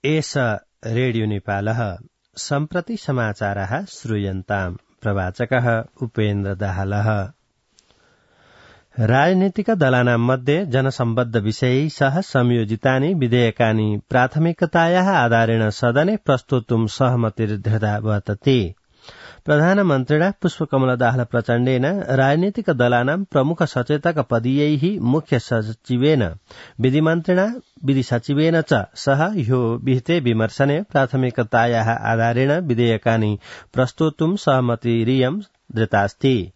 एष रेडियो नेपालः सम्प्रति समाचारः श्रूयन्ताम्। प्रवाचकः उपेन्द्र दाहालः। राजनीतिक दलानां मध्ये जनसम्बद्ध विषयै सह संयोजितानि विधेयकानि प्राथमिकतायाः आधारेण सदने प्रस्तोतुं सहमतिर्दृढा वर्तते। प्रधानमन्त्रिणा पुष्पकमल दाहाल प्रचण्डेन राजनीतिक दलानां प्रमुख सचेतक पदीयैः मुख्य सचिवेन विधिमन्त्रिणा विधि सचिवेन च सह ह्यो विहिते विमर्शने प्राथमिकतायाः आधारेण विधेयकानि प्रस्तोतुं सहमतिरियं दृतास्ति।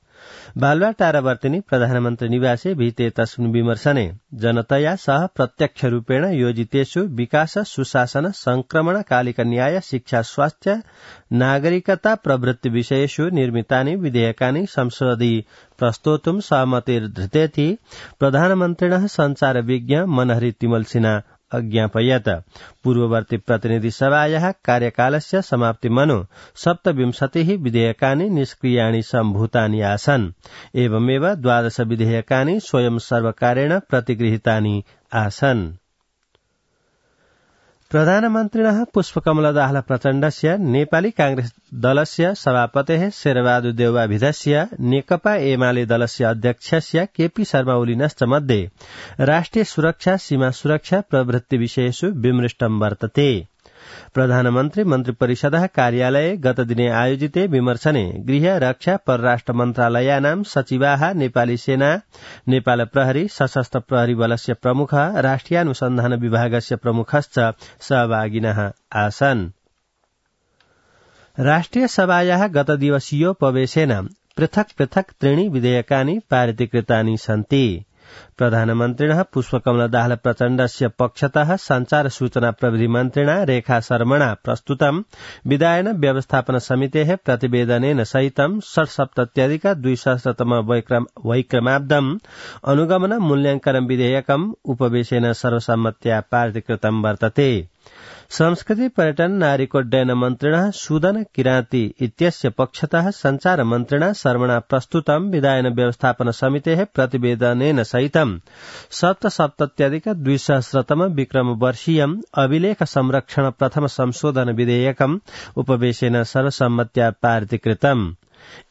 बालुवाटारवर्तिनि प्रधानमन्त्री निवासे विहिते तस्मिन् विमर्शने जनतया सह प्रत्यक्ष रूपेण योजितेषु विकास सुशासन संक्रमणकालिक न्याय शिक्षा स्वास्थ्य नागरिकता प्रभृति विषयेषु निर्मितानि विधेयकानि संसदि प्रस्तोतुं सहमतिर्धृतेति प्रधानमन्त्रिणः संचार विज्ञ मनहरी तिमल सिन्हा अज्ञापयत्। पूर्ववर्ती प्रतिनिधि सभायाः कार्यकालस्य समाप्तिमनु 27 विधेयकानि निष्क्रियाणि सम्भूतानि आसन्। एवमेव 12 विधेयकानि स्वयं सर्वकारेण प्रतिगृहीतानि आसन्। प्रधानमन्त्रिणः पुष्पकमल दाहाल प्रचण्डस्य नेपाली कांग्रेस दलस्य सभापतेः शेरबहादुर देउवाभिधस्य नेकपा एमाले दलस्य अध्यक्षस्य केपी शर्मा ओलीनश्च मध्ये राष्ट्रिय सुरक्षा सीमा सुरक्षा प्रभृति विषयेषु विमृष्टं वर्तते। प्रधानमन्त्री मन्त्रिपरिषदः कार्यालये गतदिने आयोजिते विमर्शने गृह रक्षा परराष्ट्र मन्त्रालयानां सचिवाः नेपाली सेना नेपाल प्रहरी सशस्त्र प्रहरी बलस्य प्रमुखः राष्ट्रियानुसन्धान विभागस्य प्रमुखश्च सहभागिनः आसन्। राष्ट्रिय सभायाः गतदिवसीयोपवेशेन पृथक् पृथक् त्रीणि विधेयकानि पारितीकृतानि सन्ति। प्रधानमन्त्रिणः पुष्पकमल दाहाल प्रचण्डस्य पक्षतः संचार सूचना प्रविधि मन्त्रिणा रेखा शर्मणा प्रस्तुतं विधायन व्यवस्थापन समितेः प्रतिवेदनेन सहितं 67+200तम वैक्रमाब्दम् अनुगमन मूल्याङ्कन विधेयकम् उपवेशेन सर्वसम्मत्या पारितीकृतं वर्तते। संस्कृति पर्यटन नागरिकोड्डयन मन्त्रिणः सुदन किराती इत्यस्य पक्षतः संचार मन्त्रिणा शर्मणा प्रस्तुतं विधायन व्यवस्थापन समितेः प्रतिवेदनेन सहितं 67+200तम विक्रमवर्षीयम् अभिलेख संरक्षण प्रथम संशोधन विधेयकम् उपवेशेन सर्वसम्मत्या पारितीकृतम्।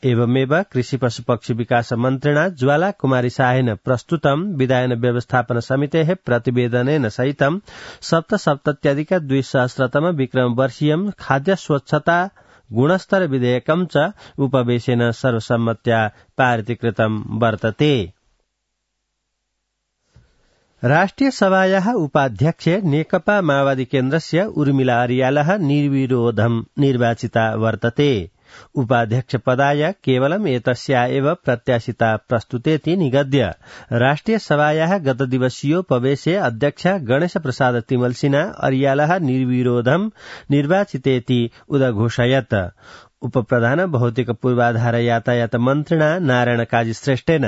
एवमेव कृषि पशुपक्षी विकास मन्त्रिणा ज्वाला कुमारी शाहेन प्रस्तुतं विधायन व्यवस्थापन समितेः प्रतिवेदनेन सहितं 67+200तम विक्रमवर्षीयम् खाद्य स्वच्छता गुणस्तर विधेयकम् च उपवेशेन सर्वसम्मत्या पारितीकृतं वर्तते। राष्ट्रिय सभायाः उपाध्यक्षे नेकपा माओवादी केन्द्रस्य उर्मिला अर्यालः निर्विरोधं निर्वाचिता वर्तते। उपाध्यक्ष पदाय केवलम् एतस्या एव प्रत्याशिता प्रस्तुतेति निगद्य राष्ट्रिय सभायाः गतदिवसीयोपवेशे अध्यक्ष गणेश प्रसाद तिमल सिन्हा अर्यालः निर्विरोधं निर्वाचितेति उदघोषयत्। उपप्रधान भौतिक पूर्वाधार यातायात मन्त्रिणा नारायण काजी श्रेष्ठेन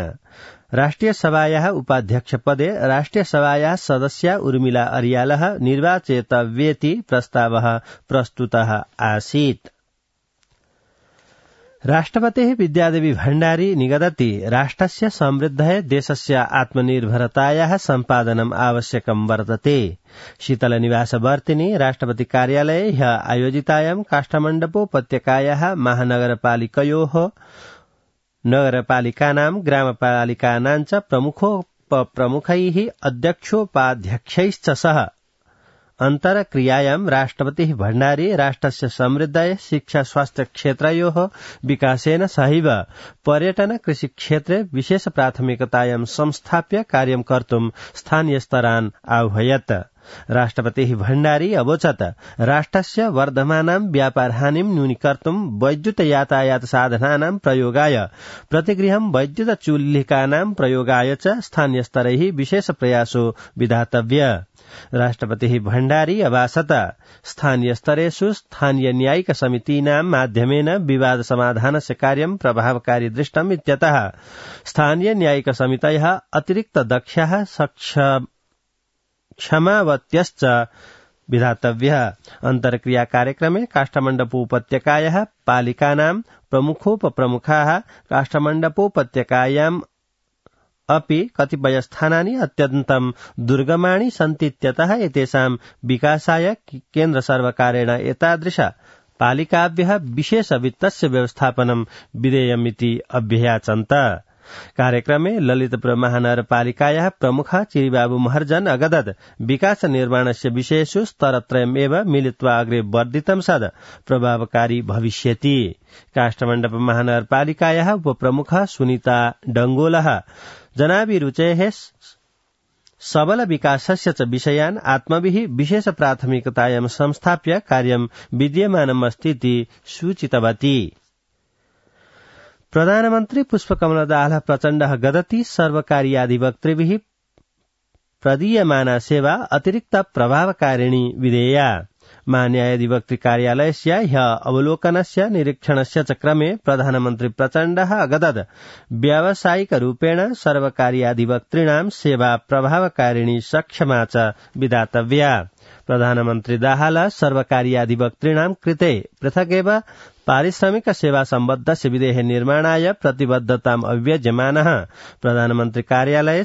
राष्ट्रिय सभायाः उपाध्यक्ष पदे राष्ट्रिय सभायाः सदस्या उर्मिला अर्यालः निर्वाचेतव्येति प्रस्तावः प्रस्तुतः आसीत्। राष्ट्रपतिः विद्यादेवी भण्डारी निगदति राष्ट्रस्य समृद्धये देशस्य आत्मनिर्भरतायाः सम्पादनम् आवश्यकं वर्तते। शीतलनिवासवर्तिनि राष्ट्रपति कार्यालये ह्यः आयोजितायां काष्ठमण्डपोपत्यकायाः महानगरपालिकयोः नगरपालिकानां ग्रामपालिकानां च प्रमुखैः अध्यक्षोपाध्यक्षैश्च सह अन्तरक्रियायां राष्ट्रपतिः भण्डारी राष्ट्रस्य समृद्धये शिक्षा स्वास्थ्य क्षेत्रयोः विकासेन सहैव पर्यटन कृषि क्षेत्रे विशेष प्राथमिकतायां संस्थाप्य कार्यं कर्तुं स्थानीयस्तरान् आह्वयत्। राष्ट्रपतिः भण्डारी अवोचत् राष्ट्रस्य वर्धमानां व्यापारहानिं न्यूनीकर्तुं वैद्युत यातायात साधनानां प्रयोगाय प्रतिगृहं वैद्युत चुल्लिकानां प्रयोगाय च स्थानीयस्तरैः विशेष प्रयासो विधातव्य। राष्ट्रपतिः भण्डारी अभाषत स्थानीयस्तरेषु स्थानीय न्यायिक समितीनां माध्यमेन विवाद समाधानस्य कार्यं प्रभावकारी दृष्टम् इत्यतः स्थानीय न्यायिक समितयः अतिरिक्त दक्षाः क्षमावत्यश्च विधातव्यः। अन्तर्क्रिया कार्यक्रमे काष्ठमण्डपोपत्यकायाः पालिकानां प्रमुखोपप्रमुखाः काष्ठमण्डपोपत्यकायां अपि कतिपय स्थानानि अत्यन्तं दुर्गमाणि सन्तीत्यतः एतेषां विकासाय केन्द्र सर्वकारेण एतादृश पालिकाभ्यः विशेष वित्तस्य व्यवस्थापनं विधेयमिति अभ्ययाचन्त। कार्यक्रमे ललितपुर महानगरपालिकायाः प्रमुख चिरिबाबु महर्जन अगदत् विकास निर्माणस्य विषयेषु स्तरत्रयमेव मिलित्वा अग्रे वर्धितं सद् प्रभावकारी भविष्यति। काष्ठमण्डप महानगरपालिकायाः उपप्रमुख सुनीता डंगोलः जनाभिरुचेः सबल विकासस्य च विषयान् आत्मभिः विशेष प्राथमिकतायां संस्थाप्य कार्यं विद्यमानमस्तीति सूचितवती। प्रधानमन्त्री पुष्पकमल दाहाल प्रचण्डः गदति सर्वकारीयाधिवक्तृभिः प्रदीयमाना सेवा अतिरिक्त प्रभावकारिणी विधेया। महान्यायाधिवक्तृ कार्यालयस्य ह्य अवलोकनस्य निरीक्षणस्य च क्रमे प्रधानमन्त्री प्रचण्डः अगदत् व्यावसायिकरूपेण सर्वकारीयाधिवक्तॄणां सेवा प्रभावकारिणी सक्षमा च विधातव्या। प्रधानमन्त्री दाहाल सर्वकारीयाधिवक्तॄणां कृते पृथगेव पारिश्रमिक सेवा सम्बद्धस्य विधेः निर्माणाय प्रतिबद्धताम् अव्यज्यमानः। प्रधानमन्त्री कार्यालये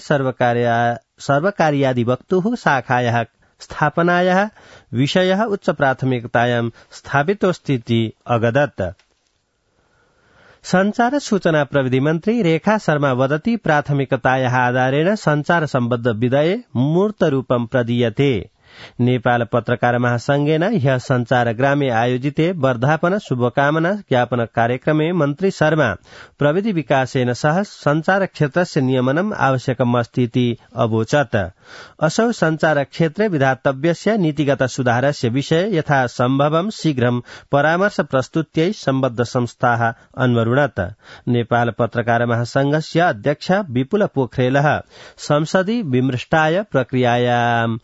सर्वकारीयाधिवक्तुः शाखायाः स्थापनायाः विषयः उच्च प्राथमिकतायां स्थापितोऽस्तीति अगदत्। संचार सूचना प्रविधि मन्त्री रेखा शर्मा वदति प्राथमिकतायाः आधारेण संचार सम्बद्ध विधेये मूर्तरूपं प्रदीयते। नेपाल पत्रकार महासंघेन ह्यः संचार ग्रामे आयोजिते वर्धापन शुभकामना ज्ञापन कार्यक्रमे मन्त्री शर्मा प्रविधि विकासेन सह संचार क्षेत्रस्य नियमनम् आवश्यकम् अस्तीति अवोचत्। असौ संचार क्षेत्रे विधातव्यस्य नीतिगत सुधारस्य विषये यथा सम्भवं शीघ्रं परामर्श प्रस्तुत्यै सम्बद्ध संस्थाः अन्वरुणत्। नेपाल पत्रकार महासंघस्य अध्यक्ष विपुल पोखरेलः संसदि विमृष्टाय प्रक्रियायां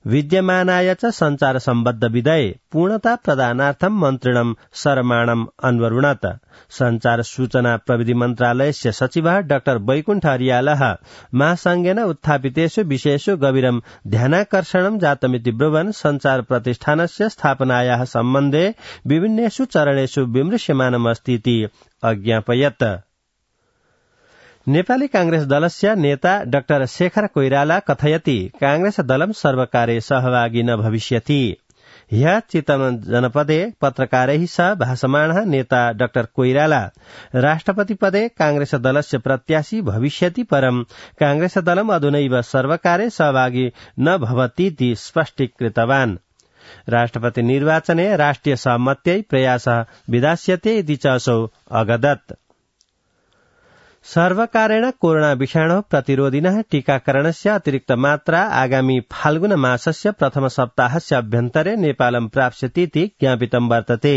विद्यमानाय च संचार सम्बद्ध विधेये पूर्णता प्रदानार्थं मन्त्रिणं सरमाणम् अन्वरुणत्। संचार सूचना प्रविधि मन्त्रालयस्य सचिवः डाक्टर वैकुण्ठ अर्यालः महासंघेन उत्थापितेषु विषयेषु गभीरं ध्यानाकर्षणं जातमिति ब्रुवन् संचार प्रतिष्ठानस्य स्थापनायाः सम्बन्धे विभिन्नेषु चरणेषु विमृश्यमानमस्तीति अज्ञापयत्। नेपाली कांग्रेस दलस्य नेता डाक्टर शेखर कोइराला कथयति कांग्रेस दलं सर्वकारे सहभागी न भविष्यति। ह्यः चितवन जनपदे पत्रकारैः सह भाषमाणः नेता डाक्टर कोइराला राष्ट्रपति पदे कांग्रेस दलस्य प्रत्याशी भविष्यति परं कांग्रेस दलम् अधुनैव सर्वकारे सहभागी न भवतीति स्पष्टीकृतवान्। राष्ट्रपति निर्वाचने राष्ट्रिय सहमत्यै प्रयासः विधास्यते इति च असौ अगदत्। सर्वकारेण कोरोना विषाणु प्रतिरोधिनः टीकाकरणस्य अतिरिक्त मात्रा आगामी फाल्गुन मासस्य प्रथम सप्ताहस्य अभ्यन्तरे नेपालं प्राप्स्यतीति ज्ञापितं वर्तते।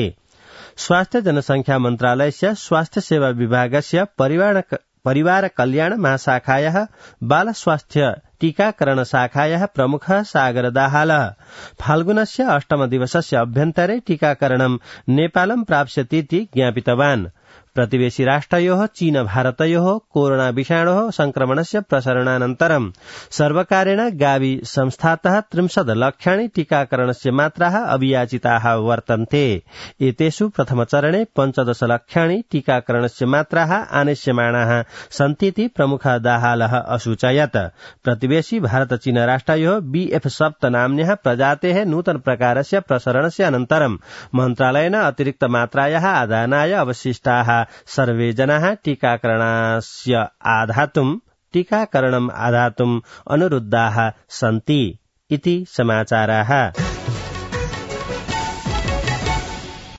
स्वास्थ्य जनसंख्या मन्त्रालयस्य स्वास्थ्य सेवा विभागस्य परिवार कल्याण महाशाखायाः बाल स्वास्थ्य टीकाकरण शाखायाः प्रमुखः सागर दाहालः फाल्गुनस्य 8 दिवसस्य अभ्यन्तरे टीकाकरणं नेपालं प्राप्स्यतीति ज्ञापितवान्। प्रतिवेशी राष्ट्रयोः चीन भारतयोः कोरोना विषाणोः संक्रमणस्य प्रसरणानन्तरं सर्वकारेण गावी संस्थातः 30 लक्षाणि टीकाकरणस्य मात्राः अभियाचिताः वर्तन्ते। एतेषु प्रथमचरणे 15 लक्षाणि टीकाकरणस्य मात्राः आनेष्यमाणाः सन्तीति प्रमुख दाहालः असूचयत्। प्रतिवेशी भारत चीन राष्ट्रयोः BF7 नाम्न्यः प्रजातेः नूतन प्रकारस्य प्रसरणस्य अनन्तरं मन्त्रालयेन अतिरिक्त मात्रायाः आदानाय अवशिष्टाः सर्वे जनाः टीकाकरणम् आधातुम् अनुरुद्धाः सन्ति इति समाचाराः।